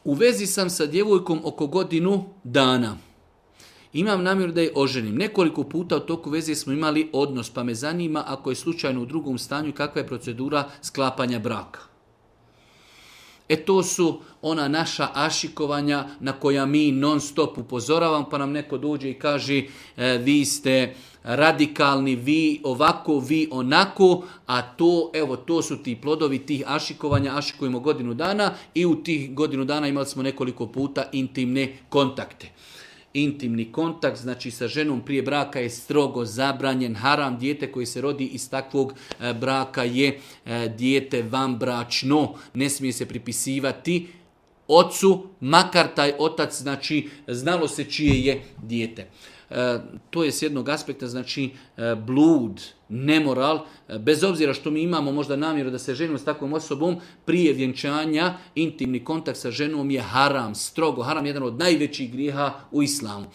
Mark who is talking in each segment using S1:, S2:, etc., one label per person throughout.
S1: U vezi sam sa djevojkom oko godinu dana. Imam namjeru da je oženim. Nekoliko puta u toku veze smo imali odnos, pa me zanima ako je slučajno u drugom stanju kakva je procedura sklapanja braka. To su ona naša ašikovanja na koja mi non stop upozoravam, pa nam neko dođe i kaže vi ste radikalni, vi ovako, vi onako, a to su ti plodovi tih ašikovanja, ašikujemo godinu dana i u tih godinu dana imali smo nekoliko puta intimne kontakte. Intimni kontakt, znači sa ženom prije braka je strogo zabranjen, haram, dijete koji se rodi iz takvog braka je dijete vanbračno, ne smije se pripisivati ocu, makar taj otac, znači znalo se čije je dijete. To je s jednog aspekta, znači blud, nemoral, bez obzira što mi imamo možda namjeru da se ženimo s takvom osobom, prije vjenčanja intimni kontakt sa ženom je haram, strogo haram, jedan od najvećih grijeha u islamu.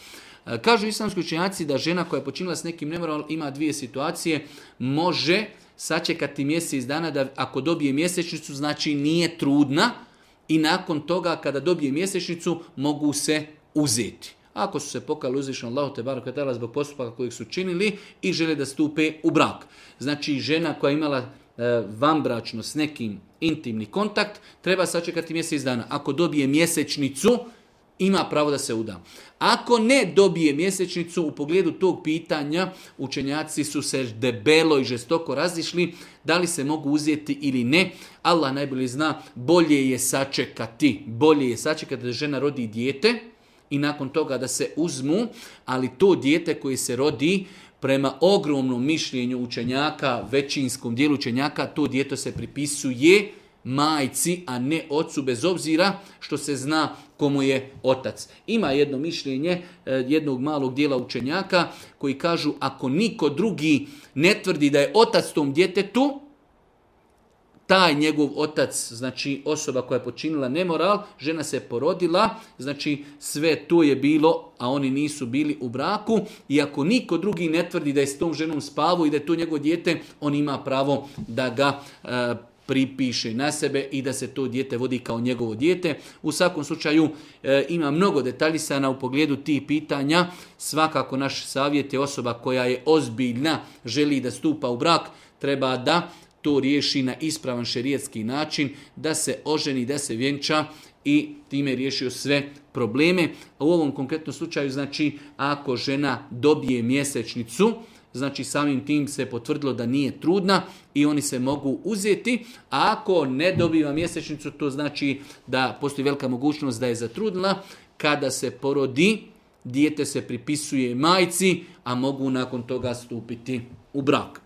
S1: Kažu islamski učenjaci da žena koja je počinila s nekim nemoralom ima dvije situacije, može sačekati mjesec dana da ako dobije mjesečnicu, znači nije trudna i nakon toga kada dobije mjesečnicu mogu se uzeti. Ako su se pokajali uzvišenom Allahu te barek ve teala zbog postupaka kojeg su činili i žele da stupe u brak. Znači žena koja je imala vanbračno s nekim intimni kontakt treba sačekati mjesec dana. Ako dobije mjesečnicu ima pravo da se uda. Ako ne dobije mjesečnicu, u pogledu tog pitanja učenjaci su se debelo i žestoko razišli da li se mogu uzeti ili ne. Allah najbolje zna, bolje je sačekati da žena rodi dijete i nakon toga da se uzmu, ali to dijete koje se rodi prema ogromnom mišljenju učenjaka, većinskom dijelu učenjaka, to dijete se pripisuje majci, a ne ocu, bez obzira što se zna komu je otac. Ima jedno mišljenje jednog malog dijela učenjaka koji kažu ako niko drugi ne tvrdi da je otac tom djetetu, taj njegov otac, znači osoba koja je počinila nemoral, žena se porodila, znači sve to je bilo, a oni nisu bili u braku i ako niko drugi ne tvrdi da je s tom ženom spavao i da je to njegovo dijete, on ima pravo da ga pripiše na sebe i da se to dijete vodi kao njegovo dijete. U svakom slučaju ima mnogo detaljisana u pogledu tih pitanja. Svakako naš savjet je osoba koja je ozbiljna, želi da stupa u brak, treba da to riješi na ispravan šerijatski način, da se oženi, da se vjenča i time riješio sve probleme. U ovom konkretnom slučaju, znači, ako žena dobije mjesečnicu, znači samim tim se potvrdilo da nije trudna i oni se mogu uzeti. A ako ne dobiva mjesečnicu, to znači da postoji velika mogućnost da je zatrudnila. Kada se porodi, dijete se pripisuje majci, a mogu nakon toga stupiti u brak.